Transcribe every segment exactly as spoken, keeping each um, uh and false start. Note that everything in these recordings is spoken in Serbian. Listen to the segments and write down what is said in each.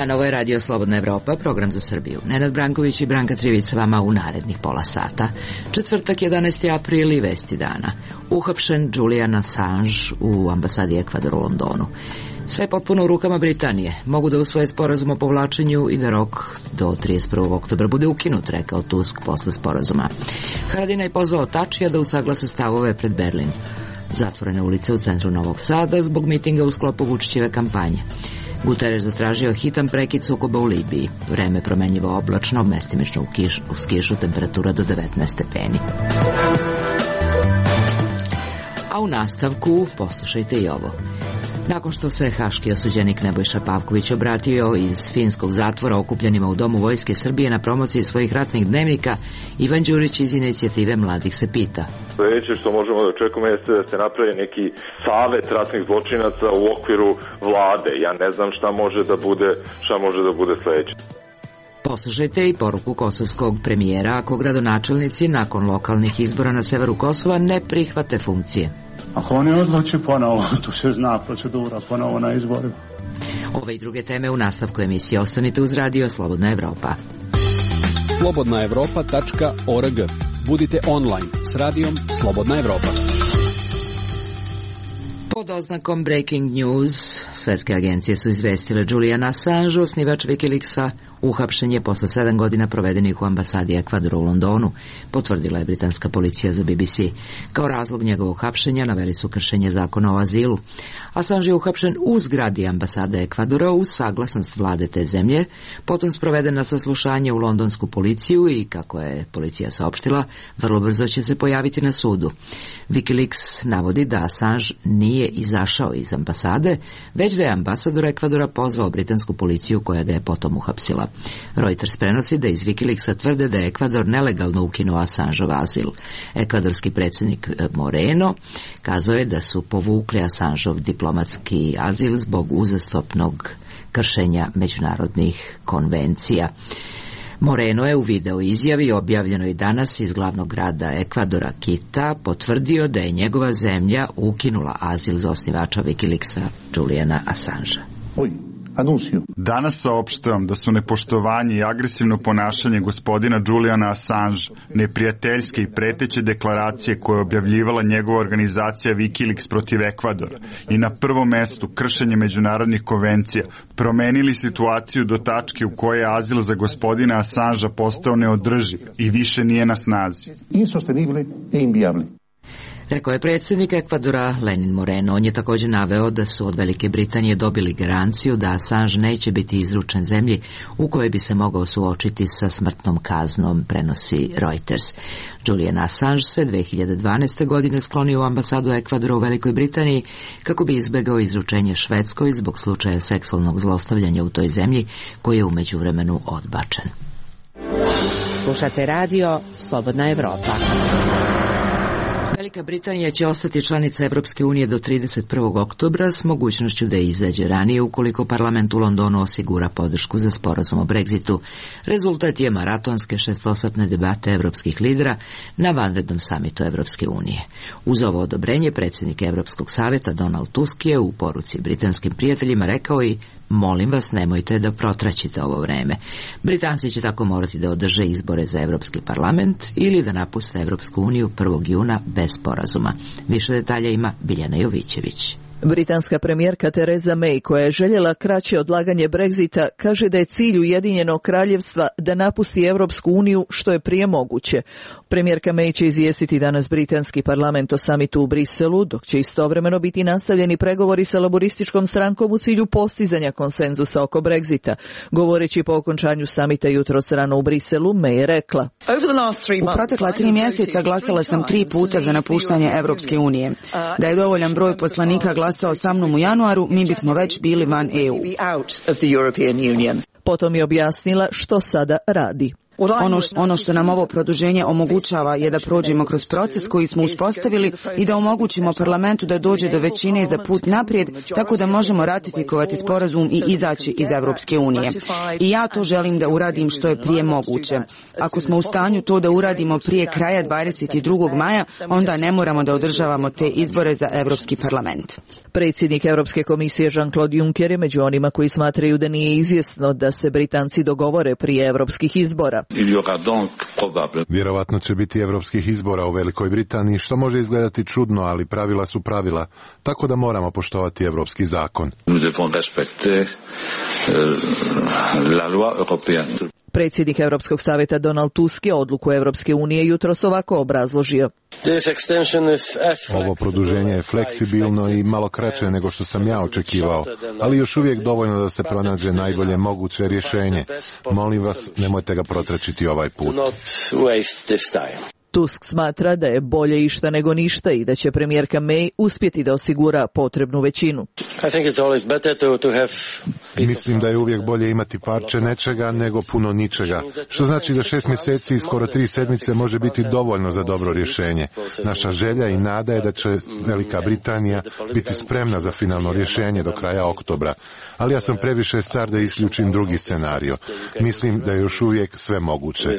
dan, ovo je Radio Slobodna Evropa, program za Srbiju. Nenad Branković i Branka Trivić sa vama u narednih pola sata. Četvrtak, jedanaesti april i vesti dana. Uhapšen Julian Assange u ambasadi Ekvadora u Londonu. Sve potpuno u rukama Britanije. Mogu da usvoje sporazum o povlačenju i da rok do trideset prvog oktobra bude ukinut, rekao Tusk posle sporazuma. Haradinaj je pozvao Tačija da usaglase stavove pred Berlin. Zatvorene ulice u centru Novog Sada zbog mitinga u sklopu Vučićeve kampanje. Guterres zatražio hitan prekid sukoba u Libiji. Vreme promenljivo oblačno, mestimično u kiš, uz kišu, temperatura do devetnaest stepeni. A u nastavku poslušajte i ovo. Nakon što se haški osuđenik Nebojša Pavković obratio iz finskog zatvora okupljenima u Domu Vojske Srbije na promociji svojih ratnih dnevnika, Ivan Đurić iz inicijative Mladih se pita. Sljedeće što možemo da očekujemo jeste da se napravi neki savet ratnih zločinaca u okviru vlade. Ja ne znam šta može da bude, šta može da bude sljedeće. Poslušajte i poruku kosovskog premijera ako gradonačelnici nakon lokalnih izbora na severu Kosova ne prihvate funkcije. Ako oni odluče ponovo, tu se zna procedura ponovo na izborima. Ove i druge teme u nastavku emisije. Ostanite uz Radio Slobodna Evropa. slobodna evropa tačka org. Budite online s radijom Slobodna Evropa. Pod oznakom Breaking News, svetske agencije su izvestile Julian Assange, osnivač Wikileaksa, uhapšen je posle sedam godina provedenih u ambasadi Ekvadora u Londonu, potvrdila je britanska policija za B B C. Kao razlog njegovog hapšenja naveli su kršenje zakona o azilu. Assange je uhapšen u zgradi ambasade Ekvadora uz saglasnost vlade te zemlje, potom sproveden na saslušanje u londonsku policiju i, kako je policija saopštila, vrlo brzo će se pojaviti na sudu. Wikileaks navodi da Assange nije izašao iz ambasade, već da je ambasador Ekvadora pozvao britansku policiju koja ga je potom uhapsila. Reuters prenosi da iz Wikileaksa tvrde da je Ekvador nelegalno ukinuo Assangeov azil. Ekvadorski predsjednik Moreno kazao je da su povukli Assangeov diplomatski azil zbog uzastopnog kršenja međunarodnih konvencija. Moreno je u video izjavi objavljenoj danas iz glavnog grada Ekvadora, Kita, potvrdio da je njegova zemlja ukinula azil za osnivača Wikileaksa Juliana Assangea. Oj. Anuncio. Danas saopštavam da su nepoštovanje i agresivno ponašanje gospodina Juliana Assange, neprijateljske i preteće deklaracije koje je objavljivala njegova organizacija Wikileaks protiv Ekvadora i na prvom mestu kršenje međunarodnih konvencija promenili situaciju do tačke u kojoj je azil za gospodina Assangea postao neodrživ i više nije na snazi. Insostenible e inviable. Rekao je predsjednik Ekvadora Lenin Moreno. On je također naveo da su od Velike Britanije dobili garanciju da Assange neće biti izručen zemlji u kojoj bi se mogao suočiti sa smrtnom kaznom, prenosi Reuters. Julian Assange se dve hiljade dvanaeste. godine sklonio u ambasadu Ekvadora u Velikoj Britaniji kako bi izbegao izručenje Švedskoj zbog slučaja seksualnog zlostavljanja u toj zemlji koji je u međuvremenu odbačen. Slušate radio Slobodna Evropa. Velika Britanija će ostati članica Evropske unije do trideset prvog oktobra s mogućnošću da izađe ranije ukoliko parlament u Londonu osigura podršku za sporazum o Brexitu. Rezultat je maratonske šestosatne debate evropskih lidera na vanrednom samitu Evropske unije. Uz ovo odobrenje predsjednik Evropskog savjeta Donald Tusk je u poruci britanskim prijateljima rekao i molim vas, nemojte da protraćite ovo vreme. Britanci će tako morati da održe izbore za Evropski parlament ili da napuste Evropsku uniju prvog juna bez sporazuma. Više detalja ima Biljana Jovićević. Britanska premijerka Theresa May, koja je željela kraće odlaganje Brexita, kaže da je cilj Ujedinjenog kraljevstva da napusti Evropsku uniju što je prije moguće. Premijerka May će izvijestiti danas britanski parlament o samitu u Briselu, dok će istovremeno biti nastavljeni pregovori sa laborističkom strankom u cilju postizanja konsenzusa oko Brexita. Govoreći po okončanju samita jutros rano u Briselu, May je rekla: U protekla tri mjeseca glasala sam tri puta za napuštanje Evropske unije. Da je dovoljan broj poslanika glasao sa mnom u januaru, mi bismo već bili van E U. Potom je objasnila što sada radi. Ono, ono što nam ovo produženje omogućava je da prođemo kroz proces koji smo uspostavili i da omogućimo parlamentu da dođe do većine za put naprijed, tako da možemo ratifikovati sporazum i izaći iz Evropske unije. I ja to želim da uradim što je prije moguće. Ako smo u stanju to da uradimo prije kraja dvadeset drugog maja, onda ne moramo da održavamo te izbore za Evropski parlament. Predsjednik Europske komisije Jean-Claude Juncker je među onima koji smatraju da nije izvjesno da se Britanci dogovore prije evropskih izbora. Vjerovatno će biti evropskih izbora u Velikoj Britaniji, što može izgledati čudno, ali pravila su pravila, tako da moramo poštovati evropski zakon. Predsjednik Europskog savjeta Donald Tusk je odluku Europske unije jutros ovako obrazložio. Ovo produženje je fleksibilno i malo kraće nego što sam ja očekivao, ali još uvijek dovoljno da se pronađe najbolje moguće rješenje. Molim vas, nemojte ga protračiti ovaj put. Tusk smatra da je bolje išta nego ništa i da će premijerka May uspjeti da osigura potrebnu većinu. Mislim da je uvijek bolje imati parče nečega nego puno ničega, što znači da šest mjeseci i skoro tri sedmice može biti dovoljno za dobro rješenje. Naša želja i nada je da će Velika Britanija biti spremna za finalno rješenje do kraja oktobra, ali ja sam previše star da isključim drugi scenario. Mislim da je još uvijek sve moguće.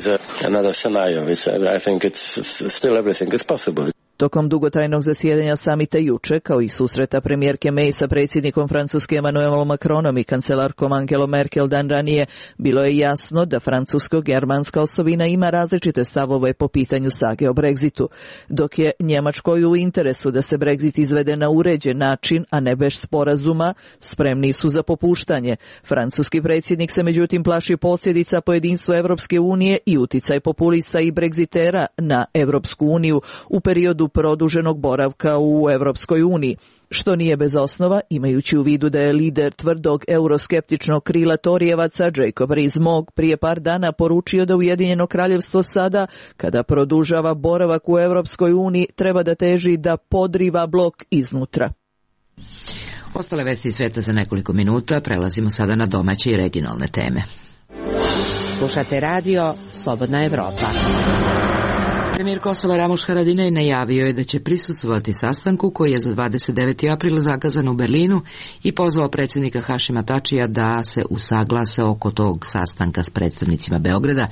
Still everything is possible. Tokom dugotrajnog zasjedanja samita juče, kao i susreta premijerke May sa predsjednikom Francuske Emmanuelom Macronom i kancelarkom Angelom Merkel dan ranije, bilo je jasno da francusko-germanska osobina ima različite stavove po pitanju sage o Brexitu. Dok je Njemačkoj u interesu da se Brexit izvede na uređen način, a ne bez sporazuma, spremni su za popuštanje. Francuski predsjednik se međutim plaši posljedica po jedinstvu Evropske unije i uticaj populista i Brexitera na Evropsku uniju u periodu produženog boravka u Evropskoj uniji, što nije bez osnova, imajući u vidu da je lider tvrdog euroskeptičnog krila Torijevaca Jacob Rees-Mogg prije par dana poručio da Ujedinjeno kraljevstvo sada, kada produžava boravak u Evropskoj uniji, treba da teži da podriva blok iznutra. Ostale vesti iz sveta za nekoliko minuta, prelazimo sada na domaće i regionalne teme. Slušate radio Slobodna Evropa. Premijer Kosova Ramuš Haradinaj najavio je da će prisustvovati sastanku koji je za dvadeset deveti april zakazan u Berlinu i pozvao predsjednika Hašima Tačija da se usaglase oko tog sastanka s predstavnicima Beograda,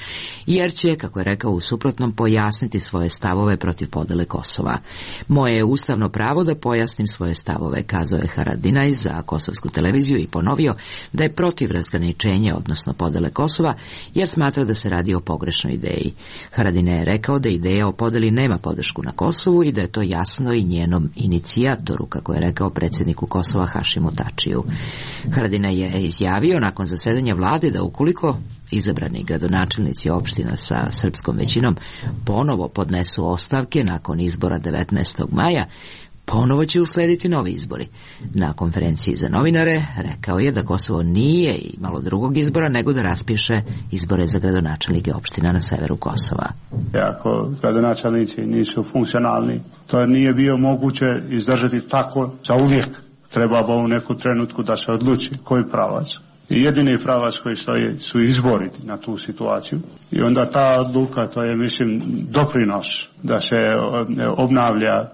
jer će, kako je rekao, u suprotnom pojasniti svoje stavove protiv podele Kosova. Moje je ustavno pravo da pojasnim svoje stavove, kazao je Haradinaj za kosovsku televiziju i ponovio da je protiv razgraničenja, odnosno podele Kosova, jer smatra da se radi o pogrešnoj ideji. Haradinaj je rekao da ideja o podeli nema podršku na Kosovu i da je to jasno i njenom inicijatoru, kako je rekao predsjedniku Kosova Hašimu Tačiju. Haradinaj je izjavio nakon zasedanja vlade da ukoliko izabrani gradonačelnici opština sa srpskom većinom ponovo podnesu ostavke nakon izbora devetnaestog maja, ponovo će uslediti novi izbori. Na konferenciji za novinare rekao je da Kosovo nije imalo drugog izbora nego da raspiše izbore za gradonačelnike opština na severu Kosova. Ako gradonačelnici nisu funkcionalni, to nije bio moguće izdržati tako za uvijek. Treba u neku trenutku da se odluči koji pravac. I jedini pravac koji stoji su izbori na tu situaciju. I onda ta odluka, to je, mislim, doprinos da se obnavlja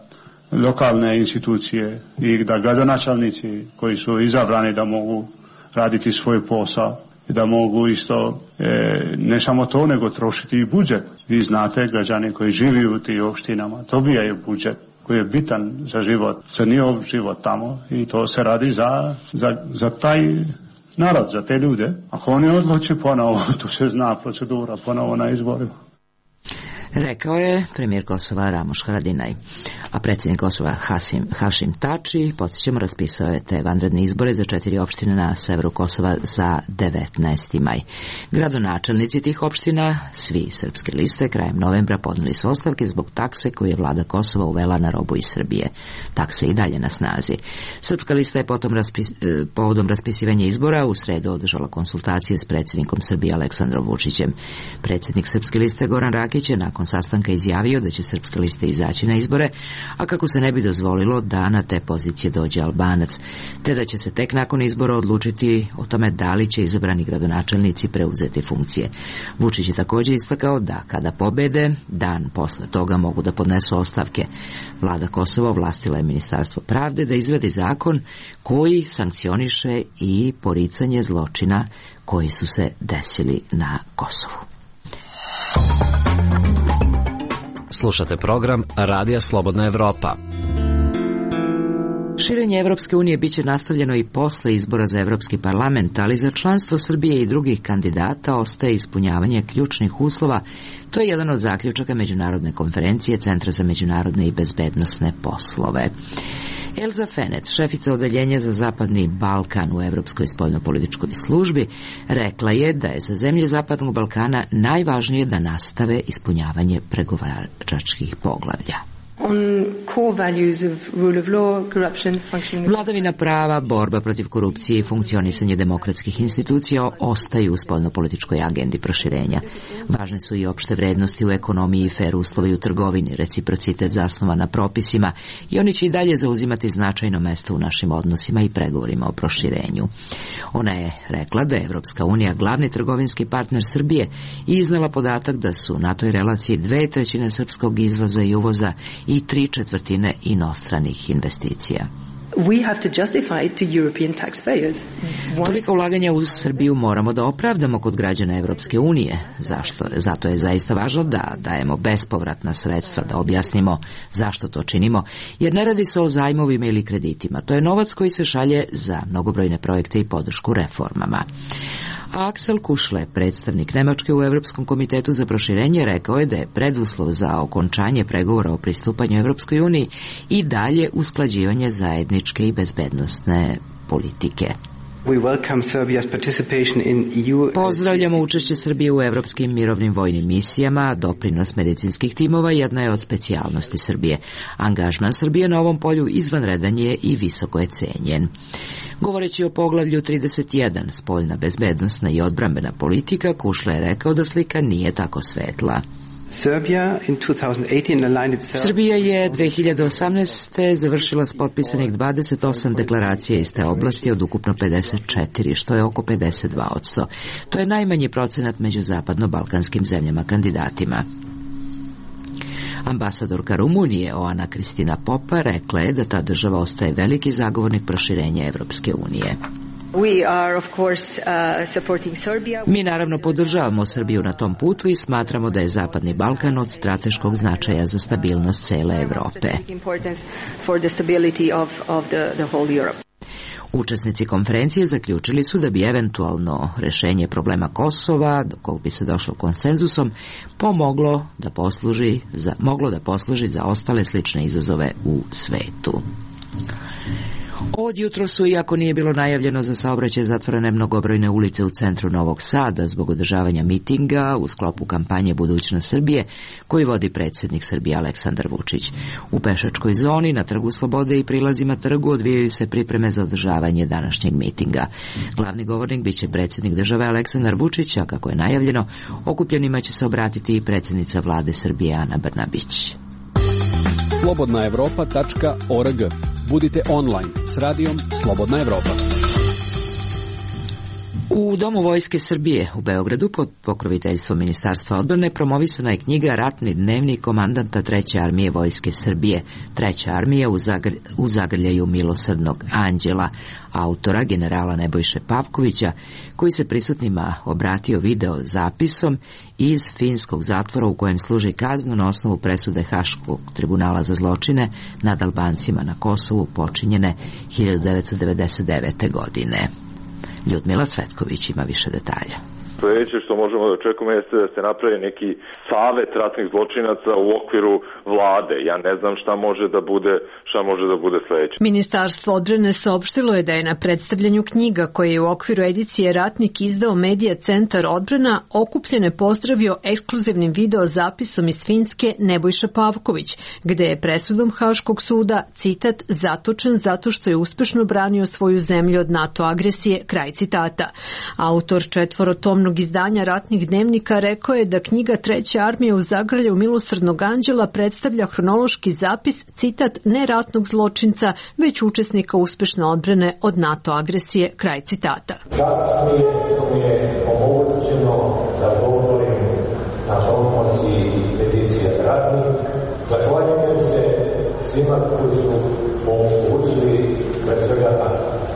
lokalne institucije i da gradonačelnici koji su izabrani da mogu raditi svoj posao i da mogu isto e, ne samo to nego trošiti i budžet. Vi znate, građani koji živi u tih opštinama dobijaju budžet koji je bitan za život, za njihov život tamo i to se radi za, za, za taj narod, za te ljude. Ako oni odluči ponovo, tu se zna procedura ponovo na izborima. Rekao je premijer Kosova Ramuš Haradinaj. A predsjednik Kosova Hasim, Hašim Tači, podsjećamo, raspisao je te vanredne izbore za četiri opštine na severu Kosova za devetnaesti maj. Gradonačelnici tih opština, svi srpske liste, krajem novembra podneli su ostavke zbog takse koju je vlada Kosova uvela na robu iz Srbije. Takse i dalje na snazi. Srpska lista je potom raspis, povodom raspisivanja izbora u sredu održala konsultacije s predsjednikom Srbije Aleksandrom Vučićem. Predsjednik Srpske liste Goran Rakić je nakon sastanka izjavio da će Srpska lista izaći na izbore, a kako se ne bi dozvolilo da na te pozicije dođe Albanac, te da će se tek nakon izbora odlučiti o tome da li će izabrani gradonačelnici preuzeti funkcije. Vučić je također istakao da kada pobede, dan posle toga mogu da podnesu ostavke. Vlada Kosova ovlastila je Ministarstvo pravde da izradi zakon koji sankcioniše i poricanje zločina koji su se desili na Kosovu. Slušate program Radija Slobodna Evropa. Širenje Evropske unije biće nastavljeno i posle izbora za Evropski parlament, ali za članstvo Srbije i drugih kandidata ostaje ispunjavanje ključnih uslova. To je jedan od zaključaka Međunarodne konferencije Centra za međunarodne i bezbednosne poslove. Elza Fenet, šefica odeljenja za Zapadni Balkan u Evropskoj spoljnopolitičkoj službi, rekla je da je za zemlje Zapadnog Balkana najvažnije da nastave ispunjavanje pregovaračkih poglavlja. Vladavina prava, borba protiv korupcije i funkcionisanje demokratskih institucija ostaju u spoljnopolitičkoj agendi proširenja. Važne su i opšte vrednosti u ekonomiji i fer uslovi u trgovini, reciprocitet zasnovan na propisima i oni će i dalje zauzimati značajno mesto u našim odnosima i pregovorima o proširenju. Ona je rekla da je Evropska unija glavni trgovinski partner Srbije i iznala podatak da su na toj relaciji dve trećine srpskog izvoza i uvoza i tri četvrtine inostranih investicija. We have to justify it to European taxpayers. Toliko ulaganja u Srbiju moramo da opravdamo kod građana Evropske unije. Zašto? Zato je zaista važno da dajemo bespovratna sredstva, da objasnimo zašto to činimo, jer ne radi se o zajmovima ili kreditima. To je novac koji se šalje za mnogobrojne projekte i podršku reformama. Aksel Kušle, predstavnik Nemačke u Evropskom komitetu za proširenje, rekao je da je preduslov za okončanje pregovora o pristupanju Evropskoj uniji i dalje usklađivanje zajedničke i bezbednosne politike. Pozdravljamo učešće Srbije u evropskim mirovnim vojnim misijama. Doprinos medicinskih timova jedna je od specijalnosti Srbije. Angažman Srbije na ovom polju izvanredan je i visoko je cenjen. Govoreći o poglavlju trideset jedan, spoljna bezbednosna i odbrambena politika, Kušle je rekao da slika nije tako svetla. Srbija je dve hiljade osamnaeste. završila s potpisanih dvadeset osam deklaracija iz te oblasti od ukupno pedeset četiri, što je oko pedeset dva posto. To je najmanji procenat među zapadno-balkanskim zemljama kandidatima. Ambasadorka Rumunije Oana Kristina Popa rekla je da ta država ostaje veliki zagovornik proširenja Evropske unije. Mi naravno podržavamo Srbiju na tom putu i smatramo da je Zapadni Balkan od strateškog značaja za stabilnost cele Evrope. Učesnici konferencije zaključili su da bi eventualno rešenje problema Kosova, do kog bi se došlo konsenzusom, pomoglo da posluži za, moglo da posluži za ostale slične izazove u svetu. Od jutro su, iako nije bilo najavljeno za saobraćaj, zatvorene mnogobrojne ulice u centru Novog Sada zbog održavanja mitinga u sklopu kampanje Budućnost Srbije koji vodi predsjednik Srbije Aleksandar Vučić. U pešačkoj zoni, na Trgu Slobode i prilazima trgu odvijaju se pripreme za održavanje današnjeg mitinga. Glavni govornik biće predsjednik države Aleksandar Vučić, a kako je najavljeno, okupljenima će se obratiti i predsjednica vlade Srbije Ana Brnabić. slobodna evropa tačka org. Budite online s radijom Slobodna Evropa. U Domu Vojske Srbije u Beogradu pod pokroviteljstvom Ministarstva odbrane promovisana je knjiga Ratni dnevnik komandanta treće armije Vojske Srbije, treća armija u, zagr u zagrljaju milosrdnog anđela, autora generala Nebojše Pavkovića, koji se prisutnima obratio video zapisom iz finskog zatvora u kojem služi kaznu na osnovu presude Haškog tribunala za zločine nad Albancima na Kosovu počinjene hiljadu devetsto devedeset devete. godine. Ljudmila Cvetković ima više detalja. Sljedeće što možemo da očekujemo jeste da se napravi neki savet ratnih zločinaca u okviru vlade. Ja ne znam šta može da bude, šta može da bude sljedeće. Ministarstvo odbrane saopštilo je da je na predstavljanju knjiga koje je u okviru edicije Ratnik izdao Medija centar odbrana okupljene pozdravio ekskluzivnim video zapisom iz Finske Nebojša Pavković, gde je presudom Haškog suda, citat, zatočen zato što je uspešno branio svoju zemlju od NATO agresije, kraj citata. Autor četvorotomnog dnevnog izdanja ratnih dnevnika rekao je da knjiga Treća armija u zagrljaju milosrdnog anđela predstavlja hronološki zapis, citat, ne ratnog zločinca, već učesnika uspešne odbrane od NATO agresije, kraj citata. Čast mi je što mi je omogućeno da govorim na promociji peticije ratnih. Zahvaljujem se svima koji su omogućili pre svega na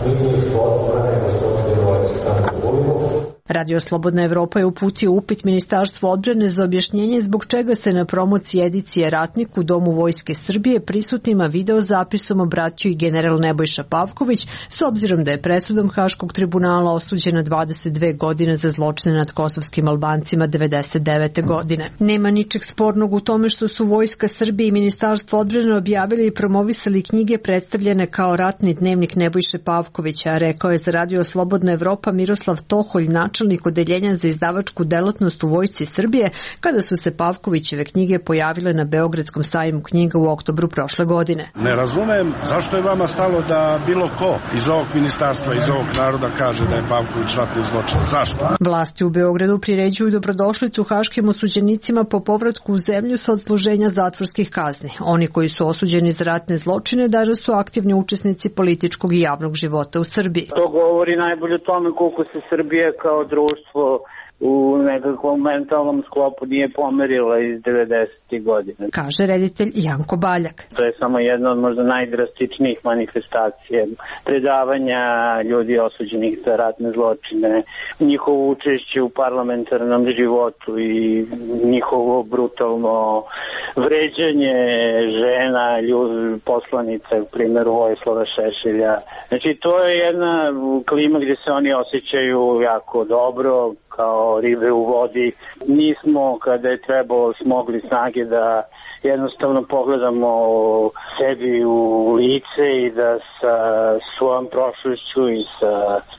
ministru odbrane gospodinu Aleksandru Vulinu. Radio Slobodna Evropa je uputio upit Ministarstvu odbrane za objašnjenje zbog čega se na promociji edicije Ratnik u Domu Vojske Srbije prisutnima video zapisom obratio i general Nebojša Pavković, s obzirom da je presudom Haškog tribunala osuđen na dvadeset dve godine za zločine nad kosovskim Albancima devedeset devete godine. Nema ničeg spornog u tome što su Vojska Srbije i Ministarstvo odbrane objavili i promovisali knjige predstavljene kao ratni dnevnik Nebojše Pavkovića, rekao je za Radio Slobodna Evropa Miroslav Toholj, načelnik odeljenja za izdavačku delatnost u Vojsci Srbije, kada su se Pavkovićeve knjige pojavile na Beogradskom sajmu knjiga u oktobru prošle godine. Ne razumem zašto je vama stalo da bilo ko iz ovog ministarstva, iz ovog naroda kaže da je Pavković ratni zločin. Zašto? Vlasti u Beogradu priređuju dobrodošlicu haškim osuđenicima po povratku u zemlju sa odsluženja zatvorskih kazni. Oni koji su osuđeni za ratne zločine danas su aktivni učesnici političkog i javnog života u Srbiji. To govori najbolje o tome koliko se Srbije kao društvo u nekakvom mentalnom sklopu nije pomerila iz devedesetih godina. Kaže reditelj Janko Baljak. To je samo jedna od možda najdrastičnijih manifestacija predavanja ljudi osuđenih za ratne zločine, njihovo učešće u parlamentarnom životu i njihovo brutalno vređanje žena, ljudi, poslanica, u primjeru Vojislava Šešelja. Znači to je jedna klima gdje se oni osjećaju jako dobro, kao ribe u vodi. Nismo, kada je trebalo, smogli snage da jednostavno pogledamo sebi u lice i da sa svojom prošlošću i sa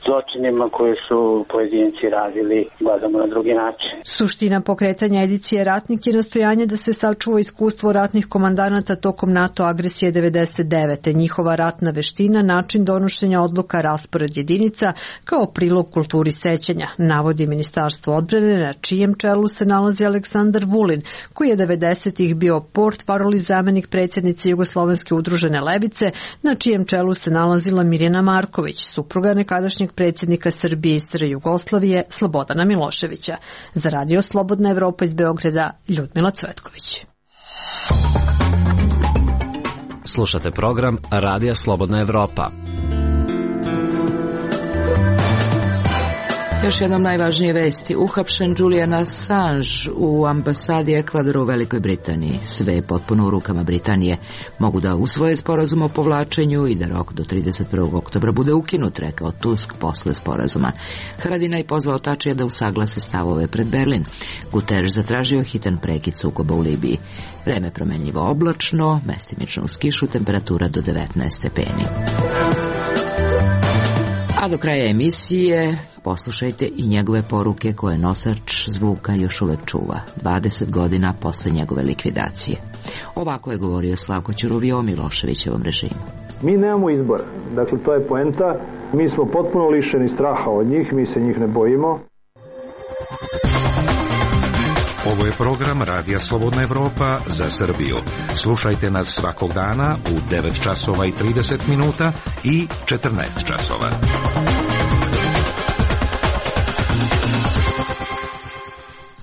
zločinima koje su pojedinci radili gledamo na drugi način. Suština pokretanja edicije Ratnik je nastojanje da se sačuva iskustvo ratnih komandanata tokom NATO agresije devedeset devete. Njihova ratna veština, način donošenja odluka, raspored jedinica, kao prilog kulturi sećanja, navodi Ministarstvo odbrane, na čijem čelu se nalazi Aleksandar Vulin, koji je devedesetih bio portparol i zamenik predsjednice Jugoslovenske udružene levice, na čijem čelu se nalazila Mirjana Marković, supruga nekadašnjeg predsjednika Srbije i S R Jugoslavije Slobodana Miloševića. Za Radio Slobodna Evropa iz Beograda, Ljudmila Cvetković. Slušate program Radija Slobodna Evropa. Još jednom najvažnije vesti. Uhapšen Julian Assange u ambasadi Ekvadora u Velikoj Britaniji. Sve je potpuno u rukama Britanije. Mogu da usvoje sporazum o povlačenju i da rok do trideset prvog oktobra bude ukinut, rekao Tusk posle sporazuma. Haradinaj je pozvao Tačija da usaglase stavove pred Berlin. Guterres zatražio hitan prekid sukoba u Libiji. Vreme promenljivo oblačno, mestimično uz kišu, temperatura do devetnaest stepeni. A do kraja emisije poslušajte i njegove poruke koje nosač zvuka još uvek čuva, dvadeset godina posle njegove likvidacije. Ovako je govorio Slavko Ćuruvija o Miloševićevom režimu. Mi nemamo izbora, dakle to je poenta, mi smo potpuno lišeni straha od njih, mi se njih ne bojimo. Ovo je program Radija Slobodna Evropa za Srbiju. Slušajte nas svakog dana u devet časova i trideset minuta i četrnaest časova.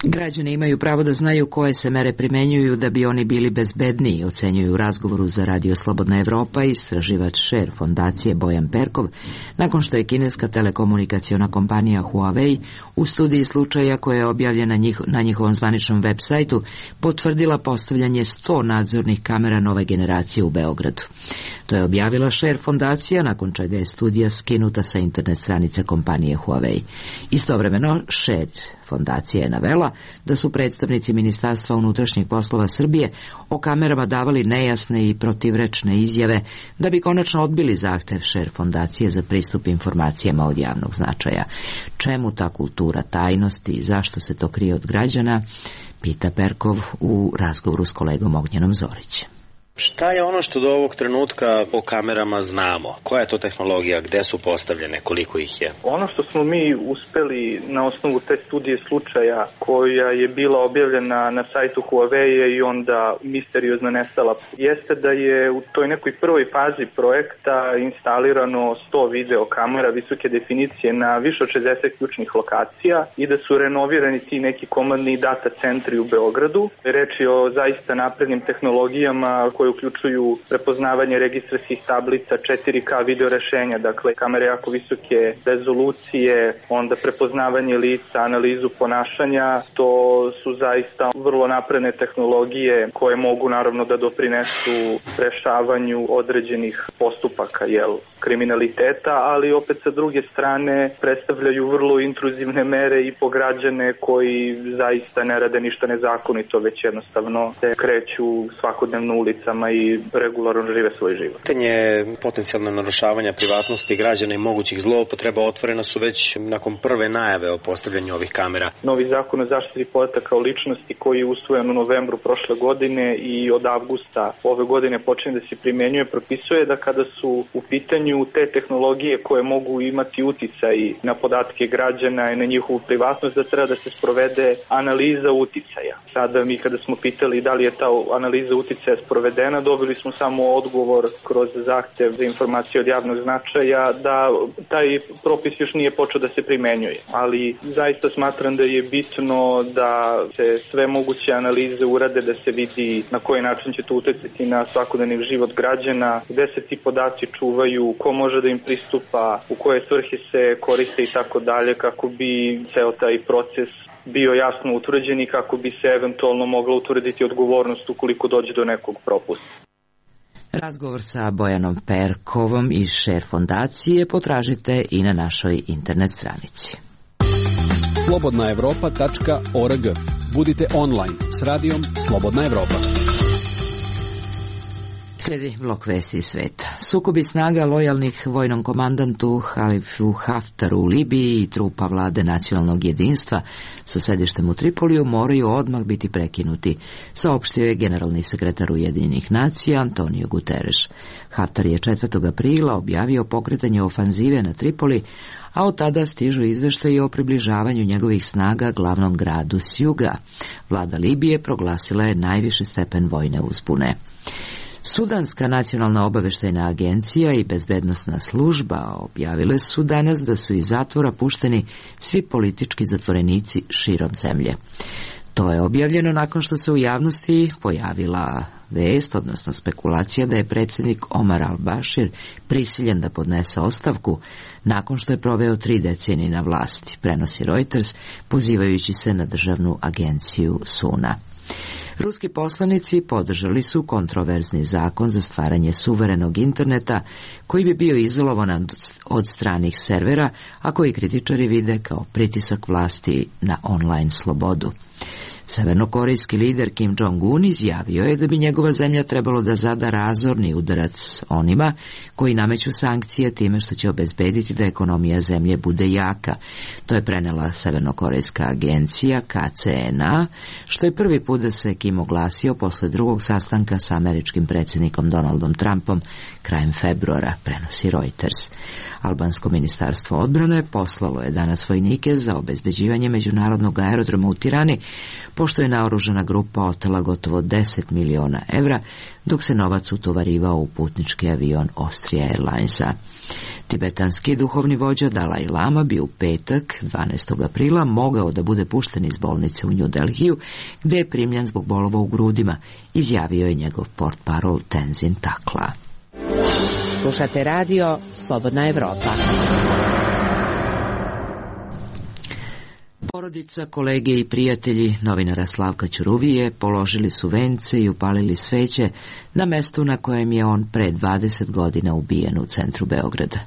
Građani imaju pravo da znaju koje se mere primenjuju da bi oni bili bezbedniji, ocenjuju u razgovoru za Radio Slobodna Evropa istraživač Share fondacije Bojan Perkov, nakon što je kineska telekomunikaciona kompanija Huawei u studiji slučaja koja je objavljena njih, na njihovom zvaničnom web sajtu potvrdila postavljanje sto nadzornih kamera nove generacije u Beogradu. To je objavila Share fondacija, nakon čega je studija skinuta sa internet stranice kompanije Huawei. Istovremeno, Share fondacija je navela da su predstavnici Ministarstva unutrašnjih poslova Srbije o kamerama davali nejasne i protivrečne izjave da bi konačno odbili zahtev Share fondacije za pristup informacijama od javnog značaja. Čemu ta kultura tajnosti i zašto se to krije od građana, pita Perkov u razgovoru s kolegom Ognjenom Zorićem. Šta je ono što do ovog trenutka o kamerama znamo? Koja je to tehnologija? Gde su postavljene? Koliko ih je? Ono što smo mi uspeli na osnovu te studije slučaja koja je bila objavljena na sajtu Huawei i onda misteriozno nestala, jeste da je u toj nekoj prvoj fazi projekta instalirano sto video kamera visoke definicije na više od šezdeset ključnih lokacija i da su renovirani ti neki komandni data centri u Beogradu. Reč je o zaista naprednim tehnologijama koje uključuju prepoznavanje registarskih tablica, četiri K video rešenja, dakle kamere jako visoke rezolucije, onda prepoznavanje lica, analizu ponašanja. To su zaista vrlo napredne tehnologije koje mogu naravno da doprinesu rešavanju određenih postupaka, jel, kriminaliteta, ali opet sa druge strane predstavljaju vrlo intruzivne mere i po građane koji zaista ne rade ništa nezakonito, već jednostavno se kreću svakodnevno ulicama i regularno žive svoj život. Pitanje potencijalno narušavanja privatnosti građana i mogućih zloupotreba otvorena su već nakon prve najave o postavljanju ovih kamera. Novi zakon o zaštiti podataka o ličnosti koji je usvojen u novembru prošle godine i od avgusta ove godine počinje da se primenjuje, propisuje da kada su u pitanju te tehnologije koje mogu imati uticaj na podatke građana i na njihovu privatnost, da treba da se sprovede analiza uticaja. Sada mi kada smo pitali da li je ta analiza uticaja sprovedena, dobili smo samo odgovor kroz zahtev za informacije od javnog značaja da taj propis još nije počeo da se primenjuje. Ali zaista smatram da je bitno da se sve moguće analize urade, da se vidi na koji način će to uticati na svakodnevni život građana, gde se ti podaci čuvaju, ko može da im pristupa, u koje svrhe se koriste i tako dalje, kako bi ceo taj proces bio jasno utvrđen i kako bi se eventualno mogla utvrditi odgovornost ukoliko dođe do nekog propusta. Razgovor sa Bojanom Perkovom iz Share fondacije potražite i na našoj internet stranici. slobodna evropa tačka org. Budite online s radijom Slobodna Evropa. Slijedi blok vesti iz sveta. Sukobi snaga lojalnih vojnom komandantu Halifu Haftaru u Libiji i trupa vlade nacionalnog jedinstva sa sedištem u Tripoliju moraju odmah biti prekinuti, saopštio je generalni sekretar Ujedinjenih nacija Antonio Guterres. Haftar je četvrtog aprila objavio pokretanje ofanzive na Tripoli, a od tada stižu izveštaji o približavanju njegovih snaga glavnom gradu s juga. Vlada Libije proglasila je najviši stepen vojne uzbune. Sudanska nacionalna obaveštajna agencija i bezbednosna služba objavile su danas da su iz zatvora pušteni svi politički zatvorenici širom zemlje. To je objavljeno nakon što se u javnosti pojavila vest, odnosno spekulacija da je predsjednik Omar al-Bashir prisiljen da podnese ostavku nakon što je proveo tri decenije na vlasti, prenosi Reuters, pozivajući se na državnu agenciju Suna. Ruski poslanici podržali su kontroverzni zakon za stvaranje suverenog interneta koji bi bio izolovan od stranih servera, a koji kritičari vide kao pritisak vlasti na online slobodu. Severnokorejski lider Kim Jong-un izjavio je da bi njegova zemlja trebalo da zada razorni udarac onima koji nameću sankcije time što će obezbediti da ekonomija zemlje bude jaka. To je prenela severnokorejska agencija K C N A, što je prvi put da se Kim oglasio posle drugog sastanka sa američkim predsjednikom Donaldom Trumpom krajem februara, prenosi Reuters. Albansko ministarstvo odbrane poslalo je danas vojnike za obezbeđivanje međunarodnog aerodroma u Tirani, pošto je naoružana grupa otela gotovo deset miliona evra, dok se novac utovarivao u putnički avion Austria Airlinesa. Tibetanski duhovni vođa Dalaj Lama bi u petak, dvanaestog aprila, mogao da bude pušten iz bolnice u New Delhiju, gde je primljen zbog bolova u grudima, izjavio je njegov portparol Tenzin Takla. Slušate radio Slobodna Evropa. Porodica, kolege i prijatelji novinara Slavka Ćuruvije položili su vence i upalili sveće na mestu na kojem je on pre dvadeset godina ubijen u centru Beograda.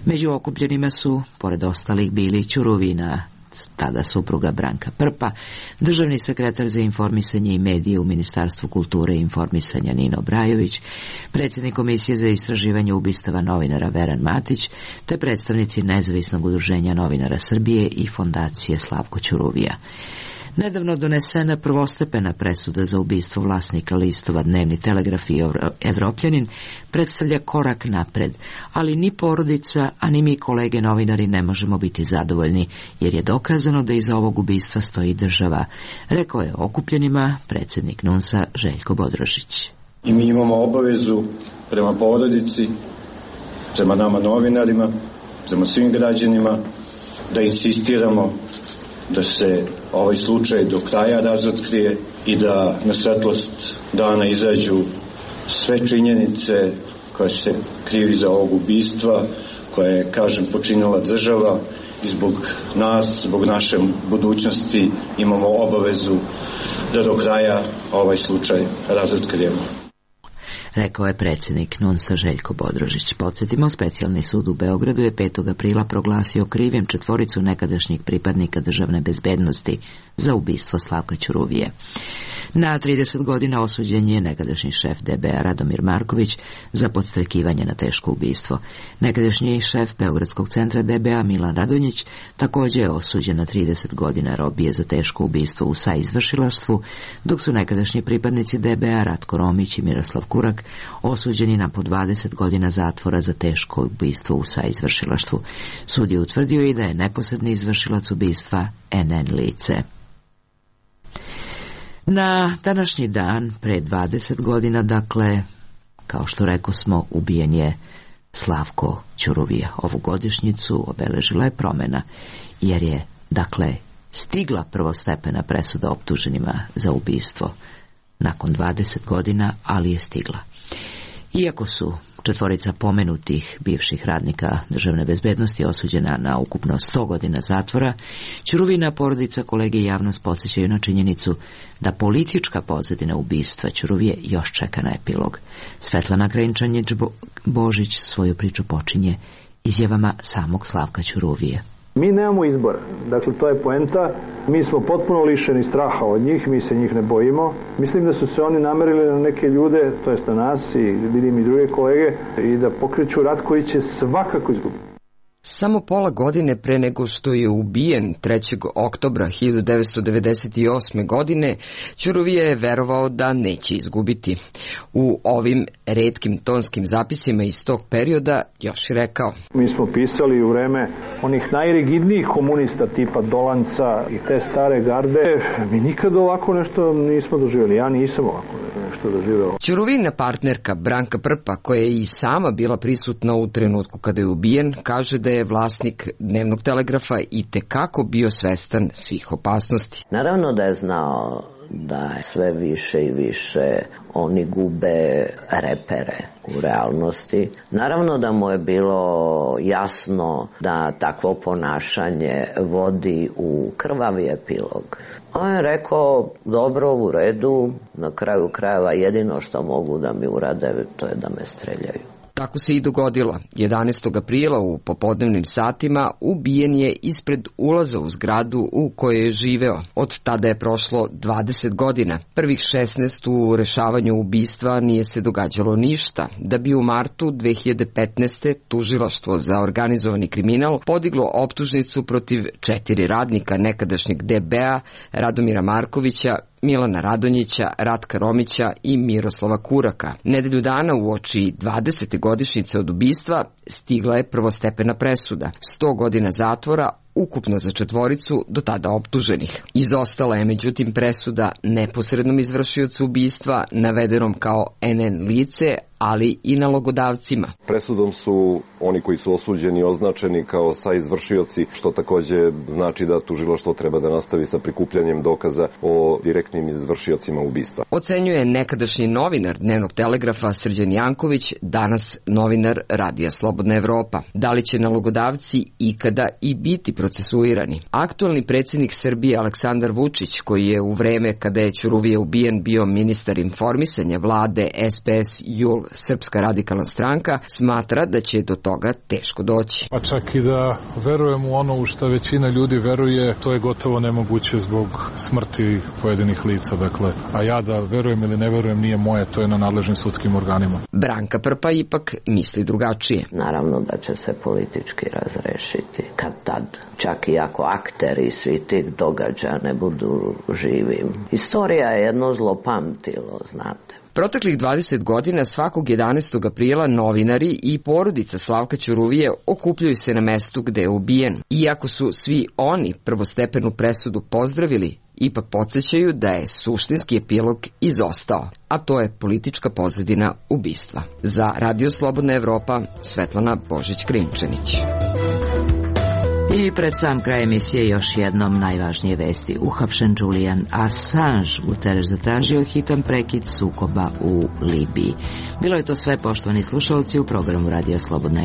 Među okupljenima su, pored ostalih, bili Ćuruvina, tada supruga Branka Prpa, državni sekretar za informisanje i medije u Ministarstvu kulture i informisanja Nino Brajović, predsjednik Komisije za istraživanje ubistava novinara Veran Matić, te predstavnici Nezavisnog udruženja novinara Srbije i Fondacije Slavko Ćuruvija. Nedavno donesena prvostepena presuda za ubistvo vlasnika listova Dnevni telegraf i Evropljanin predstavlja korak napred, ali ni porodica, a ni mi kolege novinari ne možemo biti zadovoljni, jer je dokazano da iza ovog ubistva stoji država, rekao je okupljenima predsjednik N U N S-a Željko Bodrožić. I mi imamo obavezu prema porodici, prema nama novinarima, prema svim građanima, da insistiramo da se ovaj slučaj do kraja razotkrije i da na svetlost dana izađu sve činjenice koje se krivi za ovog ubistva, koje je, kažem, počinila država i zbog nas, zbog naše budućnosti imamo obavezu da do kraja ovaj slučaj razotkrijemo. Rekao je predsjednik N U N S-a Željko Bodrožić. Podsjetimo, specijalni sud u Beogradu je petog aprila proglasio krivim četvoricu nekadašnjih pripadnika državne bezbednosti za ubistvo Slavka Ćuruvije. Na trideset godina osuđen je nekadašnji šef D B A Radomir Marković za podstrekivanje na teško ubistvo. Nekadašnji šef Beogradskog centra D B A Milan Radonjić također je osuđen na trideset godina robije za teško ubistvo u saizvršilaštvu, dok su nekadašnji pripadnici D B A Ratko Romić i Miroslav Kurak osuđeni na po dvadeset godina zatvora za teško ubistvo u saizvršilaštvu. Sud je utvrdio i da je neposredni izvršilac ubistva N N lice. Na današnji dan, pre dvadeset godina, dakle, kao što reko smo, ubijen je Slavko Ćuruvija. Ovu godišnjicu obeležila je promjena, jer je, dakle, stigla prvostepena presuda optuženima za ubistvo. Nakon dvadeset godina, ali je stigla. Iako su četvorica pomenutih bivših radnika državne bezbednosti osuđena na ukupno sto godina zatvora, Ćuruvina porodica, kolege i javnost podsjećaju na činjenicu da politička pozadina ubistva Ćuruvije još čeka na epilog. Svetlana Krenčanić-Božić svoju priču počinje izjavama samog Slavka Ćuruvije. Mi nemamo izbora, dakle to je poenta, mi smo potpuno lišeni straha od njih, mi se njih ne bojimo. Mislim da su se oni namerili na neke ljude, to jest na nas i vidim i druge kolege, i da pokreću rat koji će svakako izgubiti. Samo pola godine pre nego što je ubijen trećeg oktobra hiljadu devetsto devedeset osme. godine, Ćuruvija je verovao da neće izgubiti. U ovim retkim tonskim zapisima iz tog perioda još je rekao: Mi smo pisali u vreme onih najrigidnijih komunista tipa Dolanca i te stare garde. Mi nikad ovako nešto nismo doživjeli. Ja nisam ovako nešto doživjela. Ćuruvina partnerka Branka Prpa, koja je i sama bila prisutna u trenutku kada je ubijen, kaže da je vlasnik Dnevnog telegrafa i tekako bio svestan svih opasnosti. Naravno da je znao da sve više i više oni gube repere u realnosti. Naravno da mu je bilo jasno da takvo ponašanje vodi u krvavi epilog. On je rekao, dobro, u redu, na kraju krajeva jedino što mogu da mi urade, to je da me streljaju. Tako se i dogodilo. jedanaestog aprila u popodnevnim satima ubijen je ispred ulaza u zgradu u kojoj je živeo. Od tada je prošlo dvadeset godina. Prvih šesnaest u rešavanju ubistva nije se događalo ništa, da bi u martu dve hiljade petnaeste. tužilaštvo za organizovani kriminal podiglo optužnicu protiv četiri radnika nekadašnjeg D B A, Radomira Markovića, Milana Radonjića, Ratka Romića i Miroslava Kuraka. Nedelju dana uoči dvadesete godišnjice od ubistva stigla je prvostepena presuda. sto godina zatvora, ukupno za četvoricu do tada optuženih. Izostala je međutim presuda neposrednom izvršiocu ubistva, navedenom kao N N lice, ali i nalogodavcima. Presudom su oni koji su osuđeni označeni kao saizvršioci, što takođe znači da tužilaštvo treba da nastavi sa prikupljanjem dokaza o direktnim izvršiocima ubistva. Ocenjuje nekadašnji novinar Dnevnog telegrafa Srđan Janković, danas novinar Radija Slobodna Evropa. Da li će nalogodavci ikada i biti procesuirani? Aktualni predsjednik Srbije Aleksandar Vučić, koji je u vreme kada je Ćuruvija ubijen bio ministar informisanja vlade S P S J U L Srpska radikalna stranka, smatra da će do toga teško doći. Pa čak i da verujem u ono u što većina ljudi veruje, to je gotovo nemoguće zbog smrti pojedinih lica. Dakle, a ja da verujem ili ne verujem nije moje, to je na nadležnim sudskim organima. Branka Prpa ipak misli drugačije. Naravno da će se politički razrešiti kad tad. čak i ako akteri svi tih događaja ne budu živi. Istorija je jedno zlopamtilo, znate. Proteklih dvadeset godina svakog jedanaestog aprila novinari i porodica Slavka Ćuruvije okupljaju se na mestu gde je ubijen. Iako su svi oni prvostepenu presudu pozdravili, ipak podsjećaju da je suštinski epilog izostao, a to je politička pozadina ubistva. Za Radio Slobodna Evropa, Svetlana Božić-Krimčanić. I pred sam kraj emisije još jednom najvažnije vesti. Uhapšen Julian Assange, Guterres zatražio hitan prekid sukoba u Libiji. Bilo je to sve, poštovani slušalci, u programu Radija Slobodna